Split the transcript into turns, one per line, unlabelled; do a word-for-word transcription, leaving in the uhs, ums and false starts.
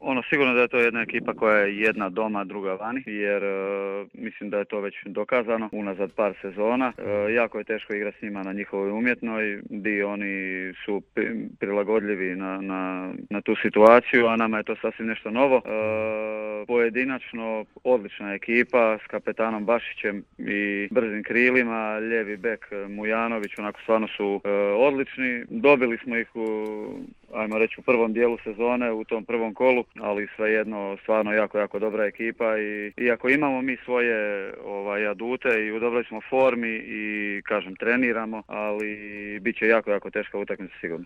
ono sigurno da je to jedna ekipa koja je jedna doma, druga vani, jer e, mislim da je to već dokazano unazad par sezona. E, jako je teško igrati s njima na njihovoj umjetnoj, di oni su pri, prilagodljivi na, na, na tu situaciju, a nama je to sasvim nešto novo. E, pojedinačno odlična ekipa s kapetanom Bašićem i brzim krilima, lijevi bek Mujanović, onako stvarno su e, odlični. Dobili smo ih u, ajmo reći, u prvom dijelu sezone, u tom prvom kolu, ali svejedno stvarno jako, jako dobra ekipa i iako imamo mi svoje ovaj, adute i u dobroj smo formi i kažem treniramo, ali bit će jako, jako teška utakmica sigurno.